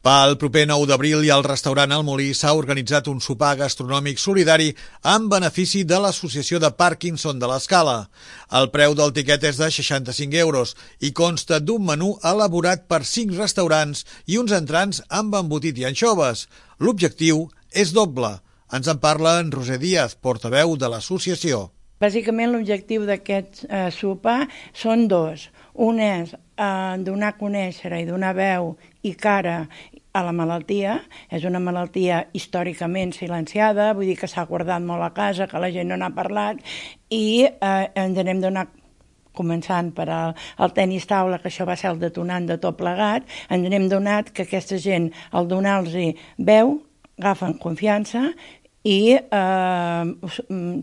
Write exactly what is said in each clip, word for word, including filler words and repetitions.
Pel proper nou d'abril i al restaurant El Molí s'ha organitzat un sopar gastronòmic solidari en benefici de l'Associació de Parkinson de l'Escala. El preu del tiquet és de seixanta-cinc euros i consta d'un menú elaborat per cinc restaurants i uns entrants amb embotit i anxoves. L'objectiu és doble. Ens en parla en Roser Díaz, portaveu de l'associació. Bàsicament l'objectiu d'aquest eh, sopar són dos. Un és eh, donar a conèixer i donar veu i cara a la malaltia. És una malaltia històricament silenciada, vull dir que s'ha guardat molt a casa, que la gent no n'ha parlat, i eh, ens anem donant, començant per al, al tenis taula, que això va ser el detonant de tot plegat, ens anem donat que aquesta gent, al donar-los veu, agafen confiança i eh,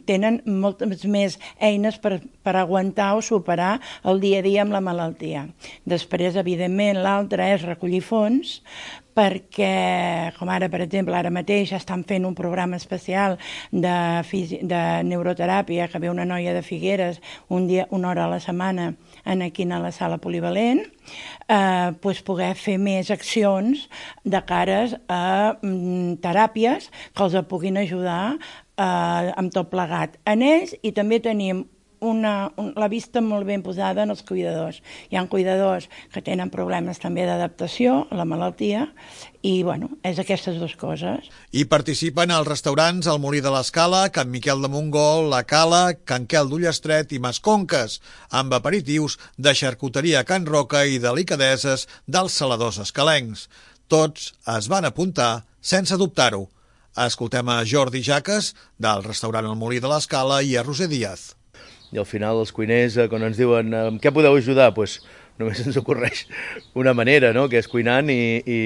tenen moltes més eines per, per aguantar o superar el dia a dia amb la malaltia. Després, evidentment, l'altre és recollir fons, perquè, com ara, per exemple, ara mateix estan fent un programa especial de, de neuroteràpia, que ve una noia de Figueres un dia, una hora a la setmana en aquí a la sala polivalent, eh, pues poder fer més accions de cares a mm, teràpies que els puguin ajudar eh, amb tot plegat en ells, i també tenim Una, un, la vista molt ben posada en els cuidadors. Hi ha cuidadors que tenen problemes també d'adaptació a la malaltia i, bueno, és aquestes dues coses. Hi participen els restaurants El Molí de l'Escala, Can Miquel de Montgol, La Cala, Can Quel d'Ullestret i Masconques, amb aperitius de xarcuteria Can Roca i delicadeses dels saladors escalencs. Tots es van apuntar sense dubtar-ho. Escoltem a Jordi Jaques, del restaurant El Molí de l'Escala, i a Roser Díaz. I al final els cuiners, quan ens diuen amb què podeu ajudar, doncs només ens ocorreix una manera, no?, que és cuinant i, i,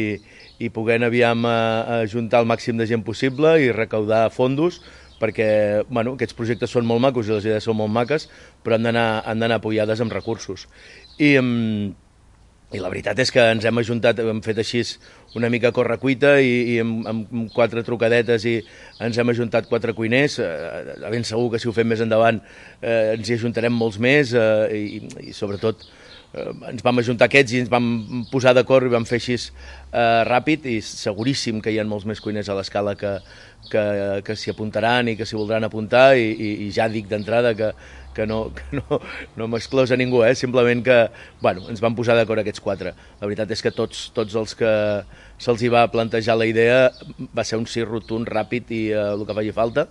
i podent aviam ajuntar el màxim de gent possible i recaudar fondos, perquè bueno, aquests projectes són molt macos i les idees són molt maques, però han d'anar han d'anar apoyades amb recursos. I, I la veritat és que ens hem ajuntat, hem fet així una mica a correcuita i, i amb, amb quatre trucadetes i ens hem ajuntat quatre cuiners. Eh, ben segur que si ho fem més endavant eh, ens hi ajuntarem molts més eh, i, i sobretot eh, ens vam ajuntar aquests i ens vam posar d'acord i vam fer així eh, ràpid, i seguríssim que hi ha molts més cuiners a l'Escala que, que, que s'hi apuntaran i que s'hi voldran apuntar, i, i, i ja dic d'entrada que que no, que no, no m'exclosa ningú, eh? Simplement que bueno, ens vam posar d'acord aquests quatre. La veritat és que tots, tots els que se'ls hi va plantejar la idea va ser un sí rotund, ràpid i eh, el que faci falta,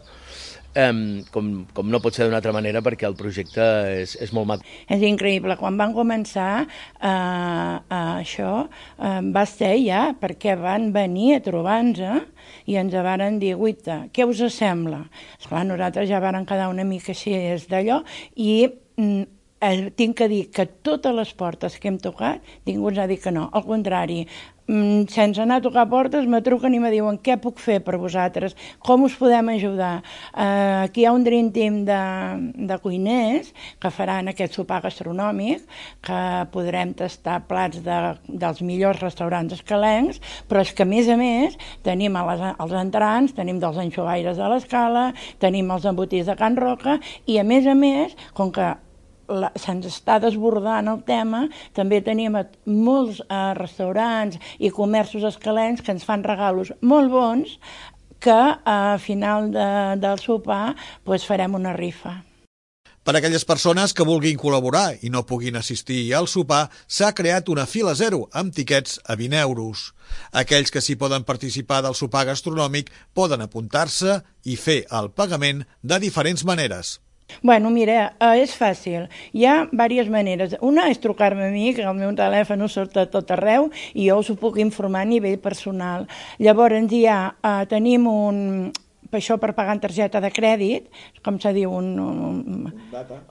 eh, com, com no pot ser d'una altra manera, perquè el projecte és, és molt maco. És increïble. Quan van començar eh, eh, això eh, va ser ja perquè van venir a trobar-nos i ens varen dir, guita, què us sembla? Esclar, nosaltres ja varen quedar una mica així d'allò, i mm, eh, tinc que dir que totes les portes que hem tocat ningú ens ha dit que no. Al contrari, mm, sense anar a tocar portes me truquen i me diuen què puc fer per vosaltres, com us podem ajudar. Eh, aquí hi ha un dream team de, de cuiners que faran aquest sopar gastronòmic, que podrem tastar plats de, dels millors restaurants escalencs, però és que a més a més tenim a les, els entrants, tenim dels anxovaires de l'Escala, tenim els embotits de Can Roca, i a més a més, com que se'ns està desbordant el tema, també tenim molts eh, restaurants i comerços escalencs que ens fan regalos molt bons, que a final de, del sopar pues, farem una rifa. Per a aquelles persones que vulguin col·laborar i no puguin assistir al sopar, s'ha creat una fila zero amb tiquets a vint euros. Aquells que s'hi poden participar del sopar gastronòmic poden apuntar-se i fer el pagament de diferents maneres. Bueno, mira, eh, és fàcil. Hi ha diverses maneres. Una és trucar-me a mi, que el meu telèfon surt a tot arreu i jo us ho puc informar a nivell personal. Llavors hi ha, eh, tenim un... per això per pagar en targeta de crèdit, com se diu, un, un,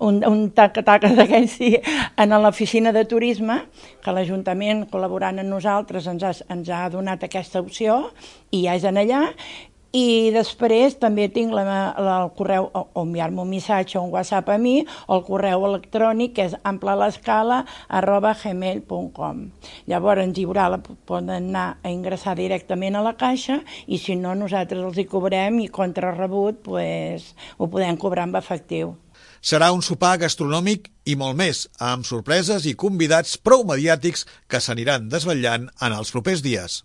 un, un taca-taca d'aquells, sí, en l'oficina de turisme, que l'Ajuntament, col·laborant amb nosaltres, ens ha, ens ha donat aquesta opció, i ja és en allà. I després també tinc la, la, el correu, o, o enviar-me un missatge o un WhatsApp a mi, o el correu electrònic, que és amplalescala arroba gmail punt com. Llavors ens hi haurà, la, poden anar a ingressar directament a la caixa, i si no, nosaltres els hi cobrem i contra rebut pues, ho podem cobrar amb efectiu. Serà un sopar gastronòmic i molt més, amb sorpreses i convidats prou mediàtics que s'aniran desvetllant en els propers dies.